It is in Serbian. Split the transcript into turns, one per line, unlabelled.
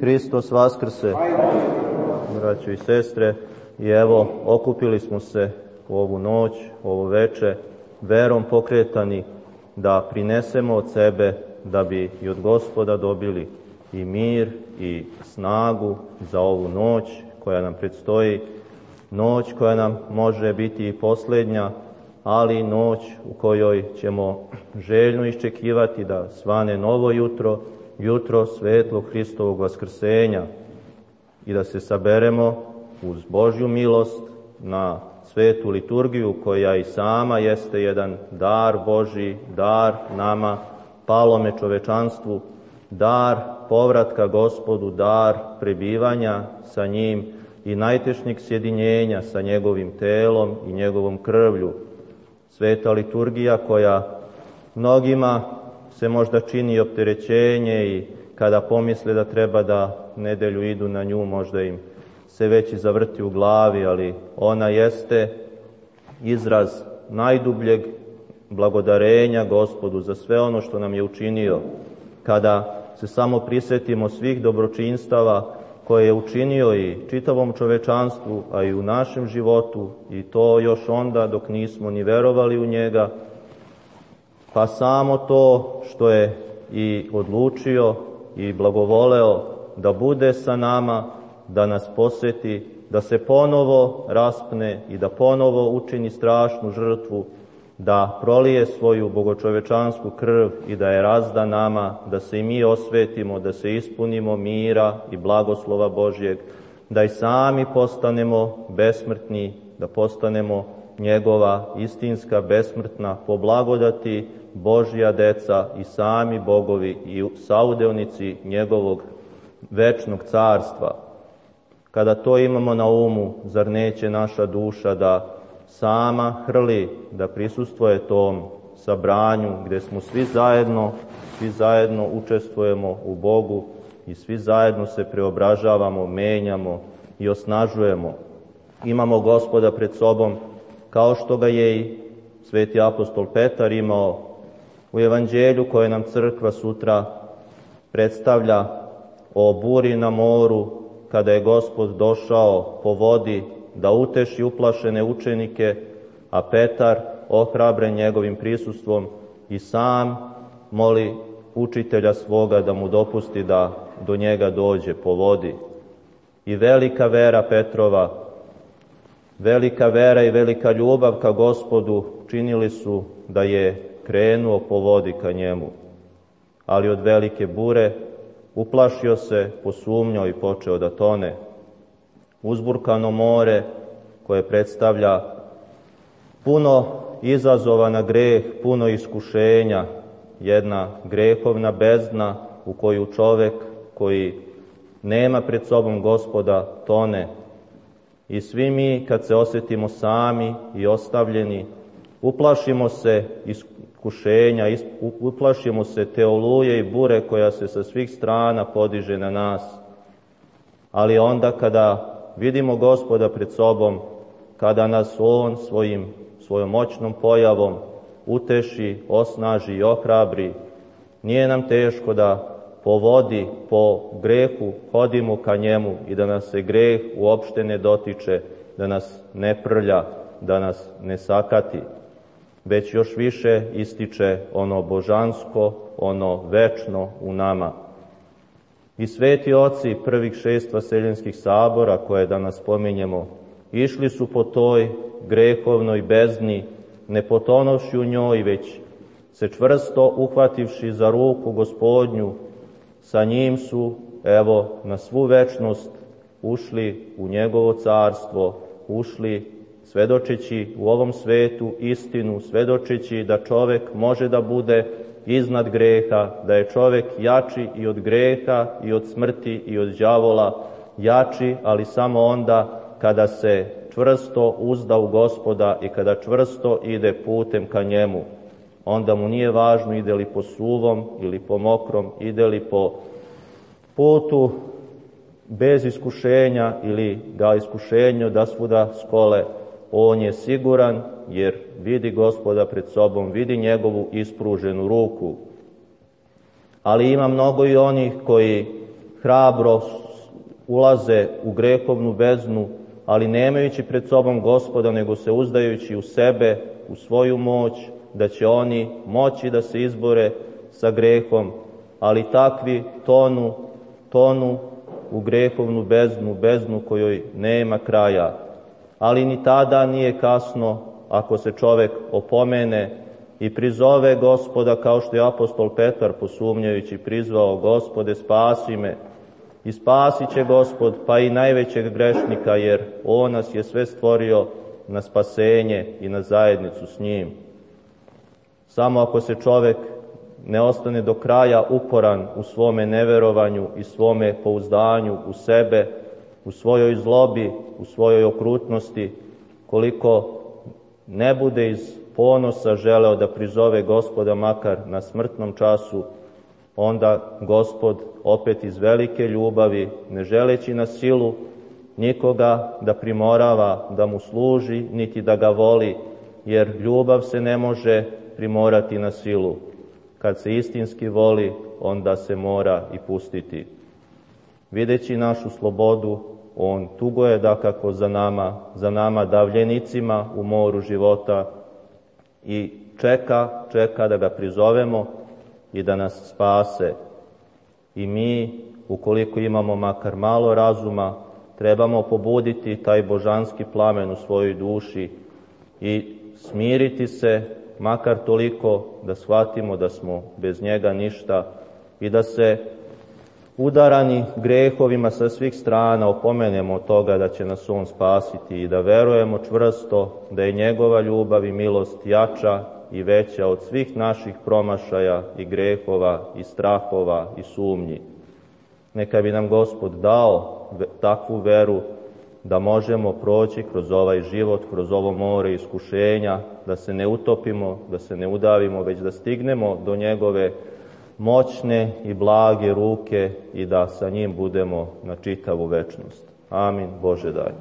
Hristos vaskrse, braćo i sestre, i evo okupili smo se u ovu noć, u ovo veče, verom pokretani da prinesemo od sebe, da bi i od Gospoda dobili i mir i snagu za ovu noć koja nam predstoji, noć koja nam može biti i posljednja, ali noć u kojoj ćemo željno iščekivati da svane novo jutro, jutro svetlog Hristovog vaskrsenja, i da se saberemo uz Božju milost na svetu liturgiju koja i sama jeste jedan dar Božji, dar nama, palome čovečanstvu, dar povratka Gospodu, dar prebivanja sa njim i najtešnjeg sjedinjenja sa njegovim telom i njegovom krvlju. Sveta liturgija koja mnogima se možda čini opterećenje i kada pomisle da treba da nedelju idu na nju, možda im se već i zavrti u glavi, ali ona jeste izraz najdubljeg blagodarenja Gospodu za sve ono što nam je učinio. Kada se samo prisjetimo svih dobročinstava koje je učinio i čitavom čovečanstvu, a i u našem životu, i to još onda dok nismo ni verovali u njega, pa samo to što je i odlučio i blagovoleo da bude sa nama, da nas posjeti, da se ponovo raspne i da ponovo učini strašnu žrtvu, da prolije svoju bogočovečansku krv i da je razda nama, da se i mi osvetimo, da se ispunimo mira i blagoslova Božjeg, da i sami postanemo besmrtni, da postanemo njegova istinska besmrtna po blagodati Božja deca i sami bogovi i saudeonici njegovog večnog carstva. Kada to imamo na umu, zar neće naša duša da sama hrli, da prisustvuje tom sabranju gdje smo svi zajedno učestvujemo u Bogu i svi zajedno se preobražavamo, menjamo i osnažujemo. Imamo Gospoda pred sobom kao što ga je i sveti apostol Petar imao u evanđelju koje nam crkva sutra predstavlja o buri na moru, kada je Gospod došao po vodi da uteši uplašene učenike, a Petar, ohrabren njegovim prisustvom, i sam moli učitelja svoga da mu dopusti da do njega dođe po vodi. I velika vera Petrova, velika vera i velika ljubav ka Gospodu činili su da je krenuo po vodi ka njemu. Ali od velike bure uplašio se, posumnjao i počeo da tone. Uzburkano more koje predstavlja puno izazova na greh, puno iskušenja, jedna grehovna bezdna u koju čovek koji nema pred sobom Gospoda tone. I svi mi kad se osjetimo sami i ostavljeni, uplašimo se iskušenja, uplašimo se te oluje i bure koja se sa svih strana podiže na nas. Ali onda kada vidimo Gospoda pred sobom, kada nas On svojom moćnom pojavom uteši, osnaži i ohrabri, nije nam teško da po vodi, po grehu hodimo ka njemu i da nas se greh uopšte ne dotiče, da nas ne prlja, da nas ne sakati, već još više ističe ono božansko, ono večno u nama. I sveti oci prvih 6 vaseljenskih sabora, koje danas spominjemo, išli su po toj grehovnoj bezdni, ne potonovši u njoj, već se čvrsto uhvativši za ruku Gospodnju, sa njim su, evo, na svu večnost ušli u njegovo carstvo, ušli svedočeći u ovom svetu istinu, svedočeći da čovek može da bude iznad greha, da je čovek jači i od greha i od smrti i od đavola, jači, ali samo onda kada se čvrsto uzda u Gospoda i kada čvrsto ide putem ka njemu. Onda mu nije važno ide li po suvom ili po mokrom, ide li po putu bez iskušenja ili ga iskušenju da svuda skole. On je siguran jer vidi Gospoda pred sobom, vidi njegovu ispruženu ruku. Ali ima mnogo i onih koji hrabro ulaze u grehovnu beznu, ali nemajući pred sobom Gospoda, nego se uzdajući u sebe, u svoju moć, da će oni moći da se izbore sa grehom, ali takvi tonu u grehovnu beznu, beznu kojoj nema kraja. Ali ni tada nije kasno ako se čovek opomene i prizove Gospoda, kao što je apostol Petar posumnjajući prizvao: Gospode, spasi me. I spasit će Gospod pa i najvećeg grešnika, jer on nas je sve stvorio na spasenje i na zajednicu s njim. Samo ako se čovek ne ostane do kraja uporan u svome neverovanju i svome pouzdanju u sebe, u svojoj zlobi, u svojoj okrutnosti, koliko ne bude iz ponosa želeo da prizove Gospoda makar na smrtnom času, onda Gospod opet iz velike ljubavi, ne želeći na silu nikoga da primorava, da mu služi, niti da ga voli, jer ljubav se ne može primorati na silu. Kad se istinski voli, onda se mora i pustiti. Videći našu slobodu, on tuguje dakako za nama davljenicima u moru života i čeka da ga prizovemo i da nas spase. I mi, ukoliko imamo makar malo razuma, trebamo pobuditi taj božanski plamen u svojoj duši i smiriti se, makar toliko da shvatimo da smo bez njega ništa i da se udarani grehovima sa svih strana opomenemo od toga da će nas on spasiti i da verujemo čvrsto da je njegova ljubav i milost jača i veća od svih naših promašaja i grehova i strahova i sumnji. Neka bi nam Gospod dao takvu veru da možemo proći kroz ovaj život, kroz ovo more iskušenja, da se ne utopimo, da se ne udavimo, već da stignemo do njegove moćne i blage ruke i da sa njim budemo na čitavu večnost. Amin. Bože daj.